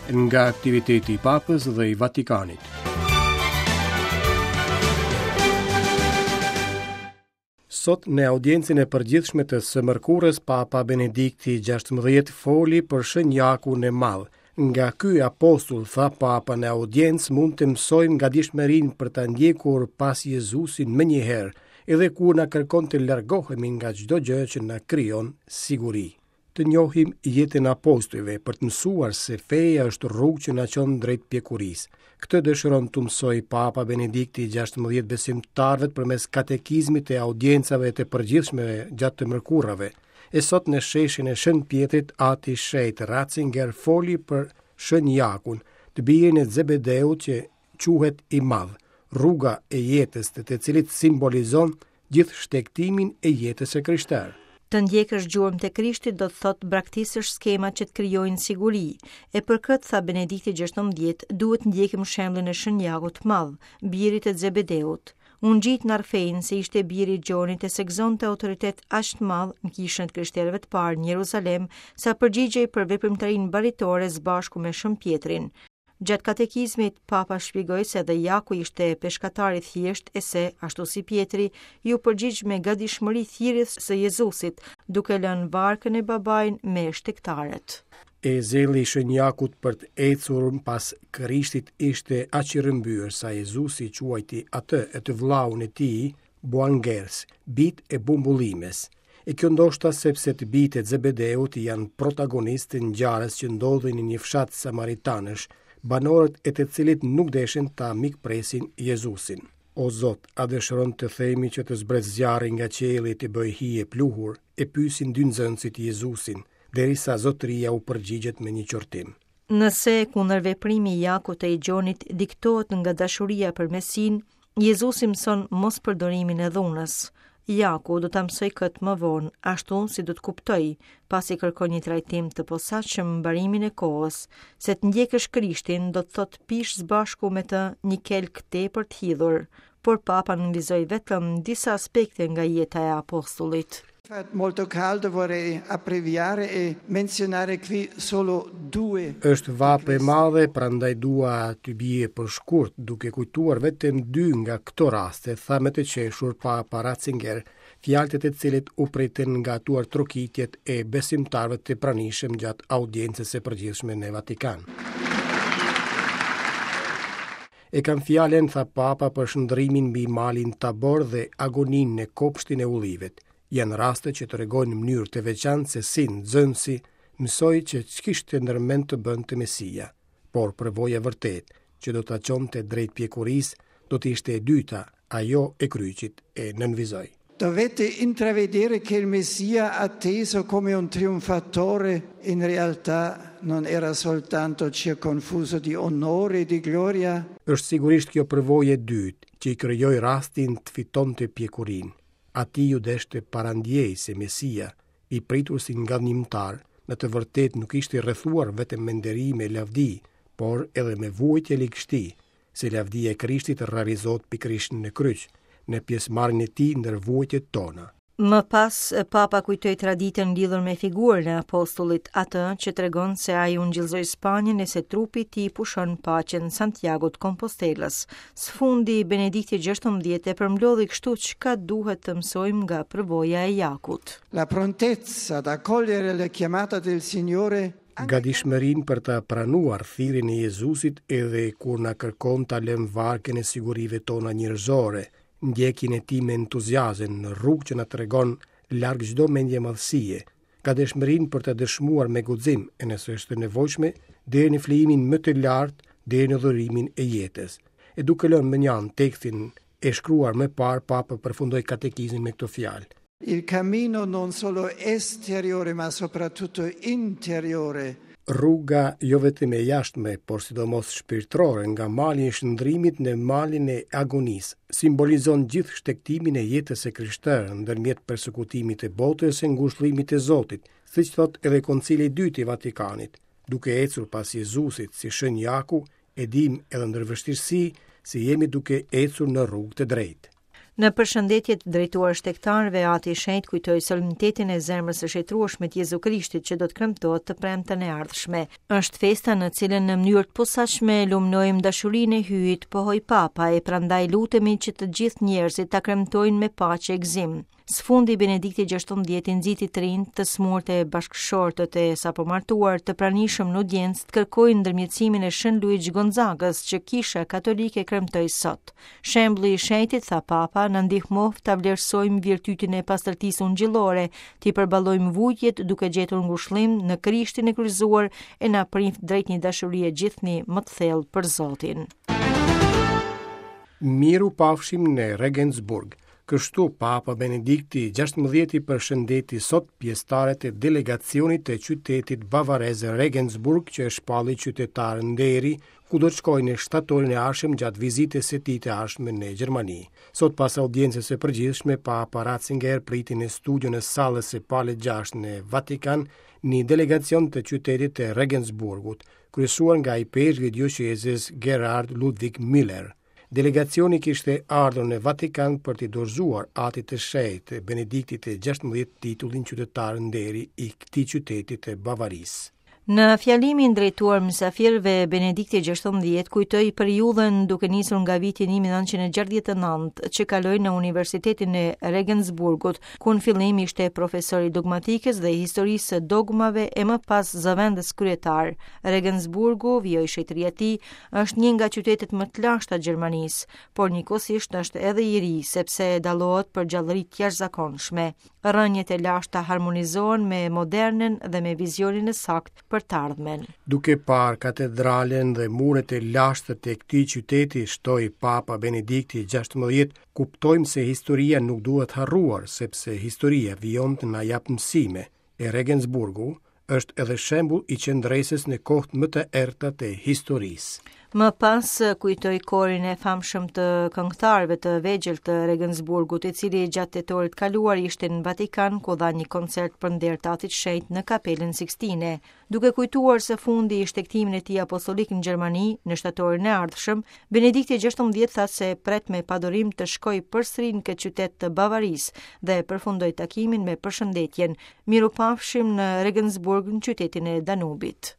Nga aktiviteti i Papës dhe i Vatikanit. Sot në audiencën e përgjithshme të së mërkurës Papa Benedikti XVI foli për Shën Jakun e Madh. Nga ky apostull, tha Papa në audiencë, mund të mësojmë gatishmërinë për ta ndjekur pas Jezusin menjëherë, edhe kur na kërkon të largohemi nga çdo gjë që na krijon siguri. Të njohim jetën e apostujve për të mësuar se feja është rrugë që na çon drejt pjekurisë. Këtë dëshiron t'u mësojë Papa Benedikti XVI besimtarëve përmes katekizmit të audiencave të përgjithshme gjatë të mërkurave. E sot në sheshin e Shën Pjetrit, Ati i Shenjtë Ratzinger foli për Shën Jakun, të birin e Zebedeut që quhet i madh, rruga e jetës të të cilit simbolizon gjithë shtegtimin e jetës së krishterë. Të ndjekësh gjurmët e Krishtit do të thotë braktisësh skemat që të krijojnë siguri. E për këtë, tha Benedikti XVI, duhet të ndjekim shembullin e Shën Jakut të Madh, birit të Zebedeut. Ungjijtë na rrëfejnë se ishte biri i Gjonit e se gëzonte autoritet aq të madh në kishën e të krishterëve të parë në Jeruzalem, sa përgjigjej për veprimtarinë baritore së bashku me Shën Pjetrin. Gjatë katekizmit, Papa shpjegoi se edhe Jaku ishte peshkatar i thjeshtë e se, ashtu si Pjetri, iu përgjigj me gatishmëri thirrjes së Jezusit, duke lënë varkën e babain me shtegtarët. E zelli i Shën Jakut për të ecur pas Krishtit ishte aq i rrëmbyer sa Jezusi e quajti atë e të vëllaun e tij Boanerges, bijtë e bumbullimës. E kjo ndoshta sepse të bijtë e Zebedeut janë protagonistë të ngjarjes që ndodhi në një fshat samaritanësh, banorët e të cilit nuk deshën ta mikpresin Jezusin. O Zot, a dëshiron të themi që të zbresë zjarri nga qielli e t'i bëjë hi e pluhur? E pyesin dy nxënësit Jezusin, derisa zotëria u përgjigjet me një qortim. Nëse kundërveprimi i Jakut e i Gjonit diktohet nga dashuria për Mesinë, Jezusi mëson mospërdorimin e dhunës. Jaku do ta mësojë këtë më vonë, ashtu si do të kuptojë, pasi kërkon një trajtim të posaçëm mbarimin e kohës, se të ndjekësh Krishtin do të thotë pish së bashku me të një kelk tepër të hidhur. Por Papa nënvizoi vetëm disa aspekte nga jeta e apostullit. Fa molto caldo, vorrei abbreviare e menzionare qui solo due. Është vapë e madhe, prandaj dua të bie për shkurt, duke kujtuar vetëm dy nga këto raste, tha me të qeshur Papa Ratzinger, fjalët e të cilit u pritën nga duartrokitjet e besimtarëve të pranishëm gjatë audiencës së përgjithshme në Vatikan. E kam fjalën, tha Papa për shndërrimin mbi malin Tabor dhe agoninë në kopshtin e ullivet. Janë raste që tregojnë në mënyrë të veçantë se si nxënësi mësoi që ç'kishte ndërmend të bënte Mesia. Por përvoja e vërtetë, që do ta çonte drejt pjekurisë, do të ishte e dyta, ajo e kryqit, e nënvizoi. Dovette intravedere che il Messia atteso come un trionfatore in realtà non era soltanto circonfuso di onore e di gloria. Është sigurisht kjo përvojë e dytë që i krijoi rastin të fitonte pjekurinë. Atij iu desh të parandjejë se Mesia, i pritur si ngadhnjimtar, në të vërtetë nuk ishte i rrethuar vetëm me nderime e lavdi, por edhe me vuajtje e ligështi, se lavdia e Krishtit realizohet pikërisht në kryq, në pjesëmarrjen e tij ndër vuajtjet tona. Më pas, Papa kujtoi traditën lidhur me figurën e apostullit, atë që tregon se ai ungjillëzoi Spanjën e se trupi i tij pushon në paqe në Santiago të Kompostelës. Së fundi, Benedikti XVI e përmblodhi kështu çka duhet të mësojmë nga përvoja e Jakut. La prontezza ad accogliere la chiamata del Signore Gatishmërinë për ta pranuar thirrjen e Jezusit edhe kur na kërkon ta lëmë varkën e sigurive tona njerëzore, ndjekjen e tij me entuziazëm në rrugë që na tregon larg çdo mendjemadhësie, gatishmërinë për të dëshmuar me guxim e nëse është e nevojshme, deri në flijimin më të lartë, deri në dhurimin e jetës. E duke lënë mënjanë tekstin e shkruar më parë, Papa përfundoi katekizmin me këto fjalë. Il cammino non solo esteriore ma soprattutto interiore. Rruga jo vetëm e jashtme, por sidomos shpirtërore nga mali i shndërrimit në malin e agonisë, simbolizon gjithë shtegtimin e jetës së krishterë ndërmjet persekutimit të botës e ngushëllimit të Zotit, siç thotë edhe Koncili i Dytë i Vatikanit. Duke ecur pas Jezusit si Shën Jaku, e dimë edhe ndër vështirësi se jemi duke ecur në rrugë të drejtë. Në përshëndetjet drejtuar shtegtarëve, Ati i Shenjtë kujtoi solemnitetin e zemrës së shenjtërueshme të Jezu Krishtit që do të kremtohet të premten e ardhshme. Është festa në cilën në mënyrë të posaçme lumnojmë dashurinë e Hyjit, pohoi Papa, e prandaj lutemi që të gjithë njerëzit ta kremtojnë me paqe e gëzim. Së fundi Benedikti XVI nxiti të rinjtë, të sëmurët e bashkëshortët e sapomartuar të pranishëm në audiencë të kërkojnë ndërmjetësimin e Shën Luigj Gonzagës që Kisha Katolike kremtoi sot. Shembulli i shenjtit, tha Papa, na ndihmoftë ta vlerësojmë virtytin e pastërtisë ungjillore, t'i përballojmë vuajtjet duke gjetur ngushëllim në Krishtin e kryqëzuar e na priftë drejt një dashurie gjithnjë më të thellë për Zotin. Mirupafshim në Regensburg. Kështu, Papa Benedikti XVI përshëndeti sot pjesëtarët e delegacionit të qytetit bavarez Regensburg që e shpalli qytetar nderi, ku do të shkojë në shtatorin e ardhshëm gjatë vizitës së tij të ardhshme në Gjermani. Sot pas audiencës së përgjithshme, Papa Ratzinger priti në studion e sallës së Palit VI në Vatikan një delegacion të qytetit të Regensburgut, kryesuar nga ipeshkvi i dioqezës Gerhard Ludwig Müller. Delegacioni kishte ardhur në Vatikan për t'i dorëzuar Atit të Shenjtë, Benediktit të XVI titullin qytetar nderi i këtij qyteti të Bavarisë. Në fjalimin drejtuar mysafirëve, Benedikti XVI kujtoi periudhën duke nisur nga viti 1969 që kaloi në Universitetin e Regensburgut, ku në fillim ishte profesor i dogmatikës dhe historisë së dogmave e më pas zëvendës kryetar. Regensburgu, vijoi shenjtëria e tij, Është një nga qytetet më të lashta të Gjermanisë, por njëkohësisht është edhe i ri, sepse dallohet për gjallëri të jashtëzakonshme. Rrënjët e lashta harmonizohen me modernen dhe me vizionin e saktë për të ardhmen. Duke parë katedralen dhe muret e lashta të këtij qyteti, shtoi Papa Benedikti XVI, kuptojmë se historia nuk duhet harruar, sepse historia vijon të na japë mësime. E Regensburgu është edhe shembull i qëndresës në kohët më të errëta të historisë. Më pas kujtoi korin e famshëm të këngëtarëve të vegjël të Regensburgut, i cili gjatë tetorit të kaluar ishte në Vatikan ku dha një koncert për nder të Atit Shenjt në Kapelën Sixtine. Duke kujtuar së fundi shtegtimin e tij apostolik në Gjermani në shtatorin e ardhshëm, Benedikti XVI tha se pret me padurim të shkojë përsëri në këtë qytet të Bavarisë dhe përfundoi takimin me përshëndetjen Mirupafshim në Regensburg në qytetin e Danubit.